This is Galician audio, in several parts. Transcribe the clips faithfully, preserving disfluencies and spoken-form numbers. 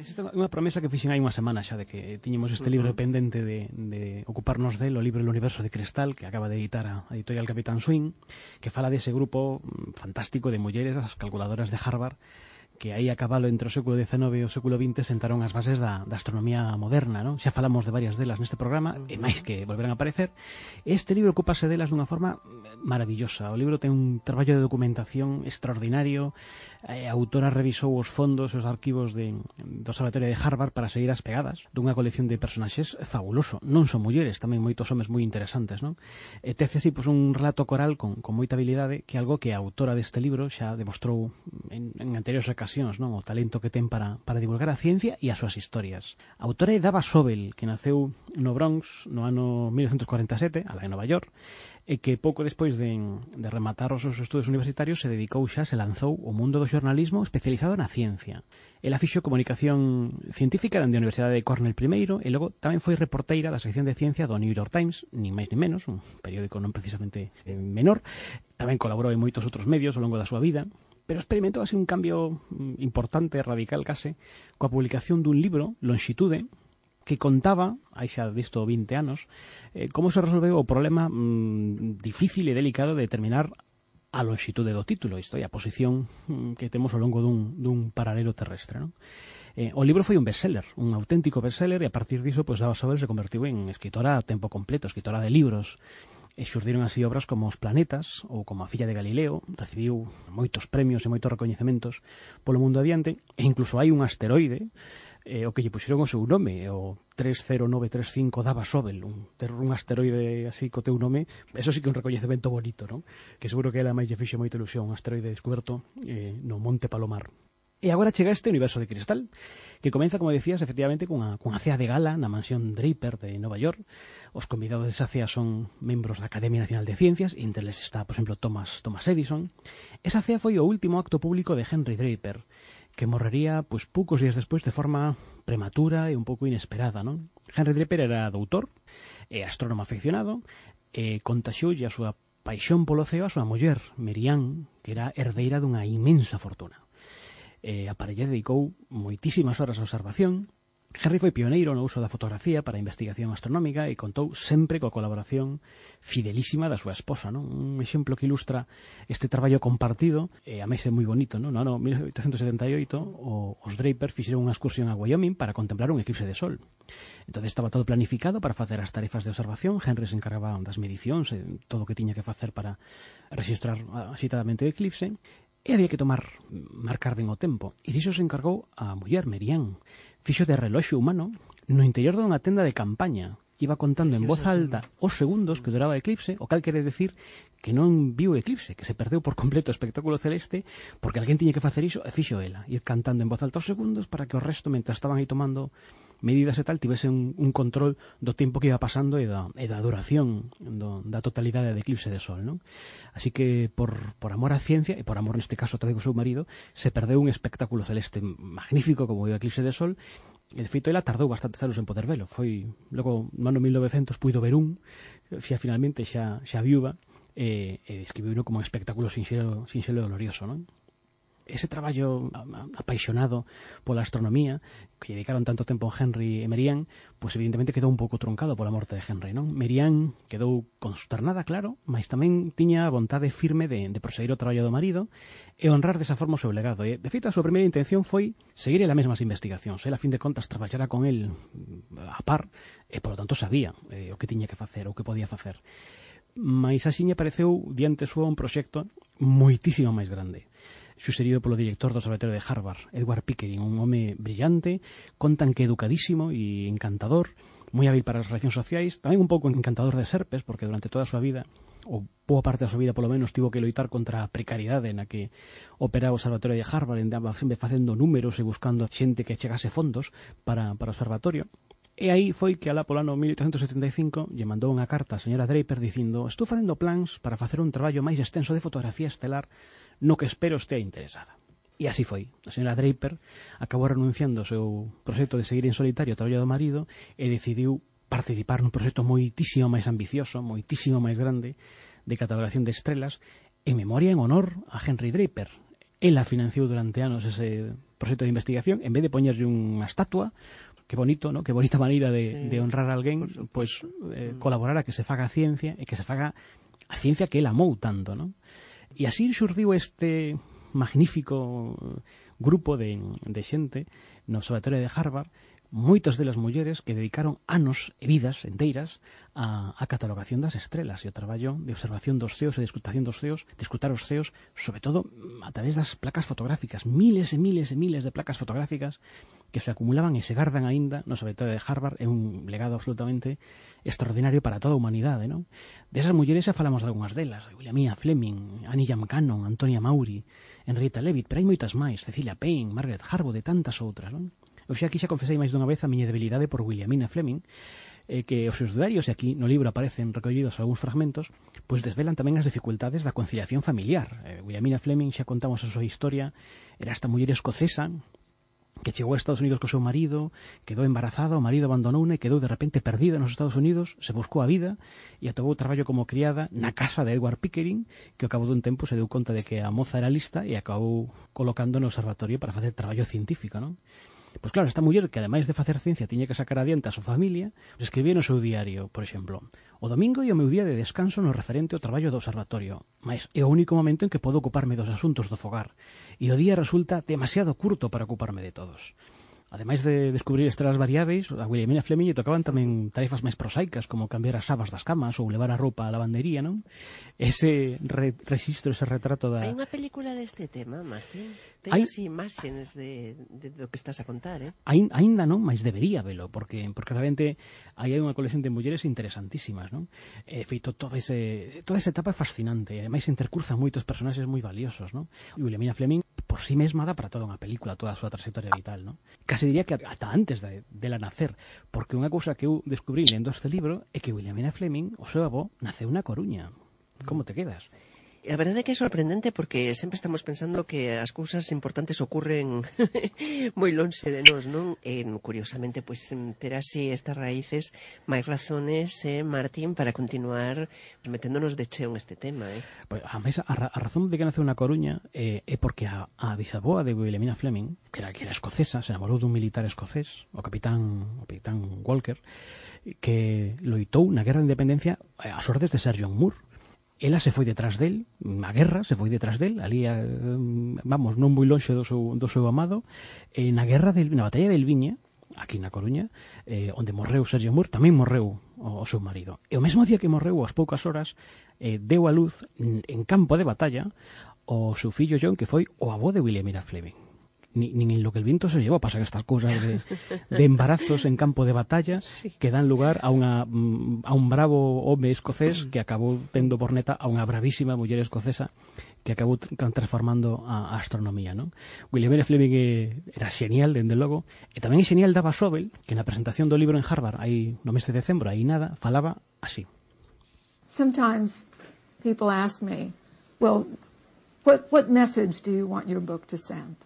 Existe unha promesa que fixen hai unha semana xa de que tiñemos este libro uh -huh. pendente de, de ocuparnos del, o libro El universo de cristal, que acaba de editar a editorial Capitán Swing, que fala dese grupo fantástico de mulleres, as calculadoras de Harvard, que aí a cabalo entre o século diecinueve e o século vinte sentaron as bases da, da astronomía moderna, non? Xa falamos de varias delas neste programa, e máis que volverán a aparecer. Este libro ocupase delas dunha forma maravillosa. O libro ten un traballo de documentación extraordinario. A autora revisou os fondos e os arquivos de, do Observatorio de Harvard para seguir as pegadas dunha colección de personaxes fabuloso. Non son mulleres, tamén moitos homes moi interesantes, non? E tece así pois, un relato coral con, con moita habilidade, que é algo que a autora deste libro xa demostrou en, en anteriores ocasións, non? O talento que ten para, para divulgar a ciencia e as súas historias. A autora é Dava Sobel, que naceu no Bronx no ano mil novecentos cuarenta e sete, alá en Nova York, e que pouco despois de, de rematar os seus estudos universitarios se dedicou xa, se lanzou ao mundo do xornalismo especializado na ciencia. Ela fixo comunicación científica da Universidade de Cornell primeiro e logo tamén foi reporteira da sección de ciencia do New York Times, nin máis nin menos, un periódico non precisamente eh, menor. Tamén colaborou en moitos outros medios ao longo da súa vida, pero experimentou así un cambio importante, radical case, coa publicación dun libro, Longitude, que contaba, hai xa disto vinte anos, eh, como se resolveu o problema mmm, difícil e delicado de determinar a longitude do título, isto é a posición mmm, que temos ao longo dun, dun paralelo terrestre, non? Eh, o libro foi un bestseller, un auténtico bestseller, e a partir diso, pues, Dava Sobel se convertiu en escritora a tempo completo, escritora de libros, e xurdiron así obras como Os planetas ou como A filla de Galileo. Recibiu moitos premios e moitos recoñecementos polo mundo adiante, e incluso hai un asteroide eh, o que lle puxeron o seu nome, o tres cero nove tres cinco Dava Sobel, un, ter un asteroide así co teu nome, eso sí que é un recoñecemento bonito, non? Que seguro que ela máis lle fixe moita ilusión, un asteroide descoberto eh, no Monte Palomar. E agora chega este universo de cristal, que comeza, como decías, efectivamente, cunha, cunha cea de gala na mansión Draper de Nova York. Os convidados desa cea son membros da Academia Nacional de Ciencias, e entre eles está, por exemplo, Thomas, Thomas Edison. Esa cea foi o último acto público de Henry Draper, que morrería pois, poucos días despois de forma prematura e un pouco inesperada, non? Henry Draper era doutor e astrónomo afeccionado, e contaxioulle a súa paixón polo ceo a súa muller, Mary Ann, que era herdeira dunha inmensa fortuna. Eh, a parella dedicou moitísimas horas a observación. Henry foi pioneiro no uso da fotografía para a investigación astronómica e contou sempre coa colaboración fidelísima da súa esposa, non? Un exemplo que ilustra este traballo compartido, e a máis é moi bonito, non? No ano mil oitocentos setenta e oito o, os Draper fixeron unha excursión a Wyoming para contemplar un eclipse de sol. Entón estaba todo planificado para facer as tarefas de observación. Henry se encargaba das medicións e todo o que tiña que facer para registrar axitadamente o eclipse. E había que tomar, marcar ben o tempo. E diso se encargou a muller, Mary Ann. Fixo de reloxo humano no interior dunha tenda de campaña. Iba contando en voz alta os segundos que duraba o eclipse, o cal quere decir que non viu o eclipse, que se perdeu por completo o espectáculo celeste, porque alguén tiña que facer iso, e fixo ela, ir cantando en voz alta os segundos para que o resto, mentras estaban aí tomando medidas e tal, tivese un, un control do tempo que iba pasando e da, e da duración do, da totalidade do eclipse de sol, non? Así que por, por amor á ciencia, e por amor neste caso tamén co seu marido, se perdeu un espectáculo celeste magnífico como o eclipse de sol. E de feito ela tardou bastantes anos en poder velo. Foi logo no ano mil novecientos puido ver un, xa finalmente xa, xa viúva, e, e describiuno como un espectáculo sinxelo, sinxelo e glorioso, non? Ese traballo apaixonado pola astronomía que dedicaron tanto tempo a Henry e Mary Ann, pois evidentemente quedou un pouco truncado pola morte de Henry, non? Mary Ann quedou consternada, claro, mas tamén tiña a vontade firme de, de proseguir o traballo do marido e honrar desa forma o seu legado. E, de feito, a súa primeira intención foi seguir ela mesmas investigacións. Ela, a fin de contas, traballara con el a par e, polo tanto, sabía eh, o que tiña que facer, o que podía facer. Mas axiña apareceu diante súa un proxecto moitísimo máis grande, suxerido polo director do Observatorio de Harvard, Edward Pickering, un home brillante, contan que educadísimo e encantador, moi hábil para as relacións sociais, tamén un pouco encantador de serpes, porque durante toda a súa vida, ou boa parte da súa vida polo menos, tivo que loitar contra a precariedade na que operaba o Observatorio de Harvard, andaba sempre facendo números e buscando xente que chegase fondos para, para o observatorio. E aí foi que alá polo ano mil oitocentos setenta e cinco lle mandou unha carta a señora Draper dicindo: estou facendo plans para facer un traballo máis extenso de fotografía estelar no que espero estea interesada. E así foi. A señora Draper acabou renunciando ao seu proxecto de seguir en solitario o traballo do marido e decidiu participar nun proxecto moitísimo máis ambicioso, moitísimo máis grande, de catalogación de estrelas en memoria en honor a Henry Draper. ela financiou durante anos ese proxecto de investigación, en vez de poñerlle unha estatua, que bonito, ¿no? Que bonita maneira de, sí, de honrar a alguén, pois eh, colaborar a que se faga a ciencia e que se faga a ciencia que ela amou tanto, ¿no? E así xurdiu este magnífico grupo de, de xente no Observatorio de Harvard, moitas delas mulleres que dedicaron anos e vidas enteiras a, a catalogación das estrelas e o traballo de observación dos ceos e de escrutación dos ceos, de escrutar os ceos, sobre todo a través das placas fotográficas, miles e miles e miles de placas fotográficas que se acumulaban e se gardan aínda no Observatorio de Harvard. É un legado absolutamente extraordinario para toda a humanidade, non? Desas mulleres xa falamos de algunhas delas, Williamina Fleming, Annie Jam Cannon, Antonia Maury, Henrietta Leavitt, pero hai moitas máis, Cecilia Payne, Margaret Harwood e tantas outras, non? Eu xa aquí xa confesei máis dunha vez a miña debilidade por Williamina Fleming, eh, que os seus diarios, e aquí no libro aparecen recollidos algúns fragmentos, pois desvelan tamén as dificultades da conciliación familiar. Eh, Williamina Fleming, xa contamos a súa historia, era esta muller escocesa que chegou a Estados Unidos co seu marido, quedou embarazada, o marido abandonouna e quedou de repente perdida nos Estados Unidos, se buscou a vida e atopou traballo como criada na casa de Edward Pickering, que ao cabo dun tempo se deu conta de que a moza era lista e acabou colocando no observatorio para facer traballo científico, non? Pois claro, esta muller que ademais de facer ciencia tiña que sacar adiante a súa familia, pues escribía no seu diario, por exemplo: o domingo é o meu día de descanso no referente ao traballo do observatorio, mas é o único momento en que podo ocuparme dos asuntos do fogar, e o día resulta demasiado curto para ocuparme de todos. Ademais de descubrir estrelas variáveis, a Williamina Fleming lle tocaban tamén tarefas máis prosaicas, como cambiar as sabas das camas ou levar a roupa á lavandería, non? Ese re registro, ese retrato da... Hai unha película deste tema, Martín? Ten Hai... así imaxes de, de, de do que estás a contar, eh? Ain, ainda non, mas debería velo, porque, porque realmente aí hai unha colección de mulleres interesantísimas, non? E feito todo ese, toda esa etapa é fascinante, e ademais intercruzan moitos personaxes moi valiosos, non? E Williamina Fleming, por si sí mesma, dá para toda unha película, toda a súa trayectoria vital, non? Casi diría que ata antes de, de la nacer, porque unha cousa que eu descubrí lendo este libro é que Williamina Fleming, o seu avó, naceu na Coruña. Como te quedas? A verdade é que é sorprendente porque sempre estamos pensando que as cousas importantes ocurren moi lonxe de nós, non? E, curiosamente, pois, ter así estas raíces máis razones, eh, Martín, para continuar meténdonos de cheo en este tema, eh? Pois, a, mesa, a, a razón de que naceu na Coruña eh, é porque a, a bisaboa de Williamina Fleming, que era, que era escocesa, se enamorou dun militar escocés, o capitán, o capitán Walker, que loitou na Guerra de Independencia ás ordes de Sir John Moore. Ela se foi detrás del, a guerra se foi detrás del, ali, vamos, non moi lonxe do seu, do seu amado, e na guerra, del, na batalla del Viña, aquí na Coruña, eh, onde morreu Sergio Moore, tamén morreu o, o seu marido. E o mesmo día que morreu, ás poucas horas, eh, deu a luz en campo de batalla o seu fillo John, que foi o avó de Williamina Fleming. Ni, ni en lo que el viento se llevó pasan estas cosas de, de embarazos en campo de batalla, sí, que dan lugar a unha a un bravo home escocés que acabou tendo por neta a unha bravísima muller escocesa que acabou transformando a, a astronomía, non? Williamina Fleming era xenial, dende logo, e tamén é xenial Dava Sobel, que na presentación do libro en Harvard aí no mes de decembro, aí nada, falaba así. Sometimes people ask me, well, what, what message do you want your book to send?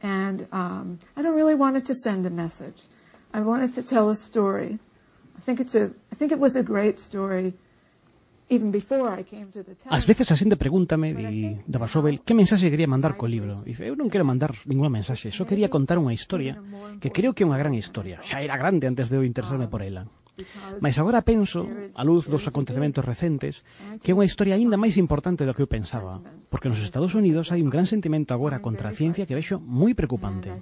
And um, I don't really want it to send a message. I want it to tell a story. I think it's a, I think it was a great story even before I came to the town. Ás veces a xente pregúntame, di Dava Sobel, que mensaxe quería mandar co libro. Dice, eu non quero mandar ninguna mensaxe, só quería contar unha historia que creo que é unha gran historia. Xa era grande antes de eu interesarme por ela. Mas agora penso, a luz dos acontecementos recentes, que é unha historia aínda máis importante do que eu pensaba, porque nos Estados Unidos hai un gran sentimento agora contra a ciencia que vexo moi preocupante.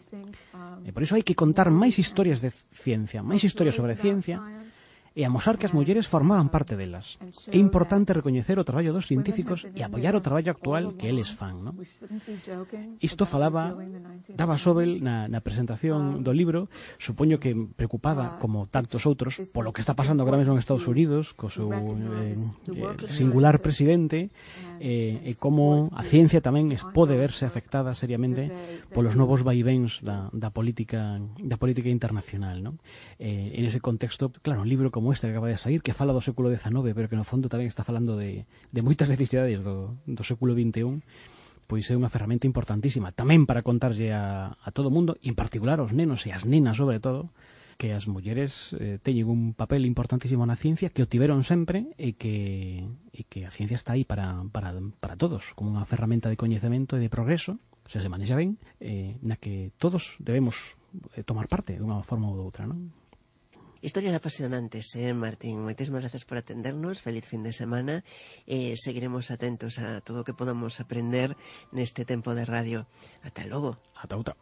E por iso hai que contar máis historias de ciencia, máis historias sobre ciencia, e amosar que as mulleres formaban parte delas. É importante recoñecer o traballo dos científicos e apoiar o traballo actual que eles fan, non? Isto falaba Dava Sobel na, na presentación do libro, supoño que preocupada, como tantos outros, polo que está pasando agora mesmo en Estados Unidos, co seu eh, eh, singular presidente, eh, e como a ciencia tamén pode verse afectada seriamente polos novos vaivéns da, da política da política internacional, non? Eh, en ese contexto, claro, un libro como este que acaba de sair, que fala do século dezanove, pero que no fondo tamén está falando de, de moitas necesidades do, do século vinte e un, pois é unha ferramenta importantísima tamén para contarlle a, a todo o mundo, e en particular aos nenos e as nenas sobre todo, que as mulleres eh, teñen un papel importantísimo na ciencia, que o tiveron sempre, e que, e que a ciencia está aí para, para, para todos, como unha ferramenta de coñecemento e de progreso, xa se manexa ben, eh, na que todos debemos eh, tomar parte dunha forma ou doutra, non? Historias apasionantes, eh, Martín. Moitísimas gracias por atendernos. Feliz fin de semana. Eh, seguiremos atentos a todo o que podamos aprender neste tempo de radio. Ata logo. Ata outra.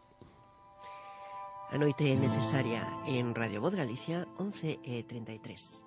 A noite necesaria en Radio Voz Galicia, once e treinta e tres.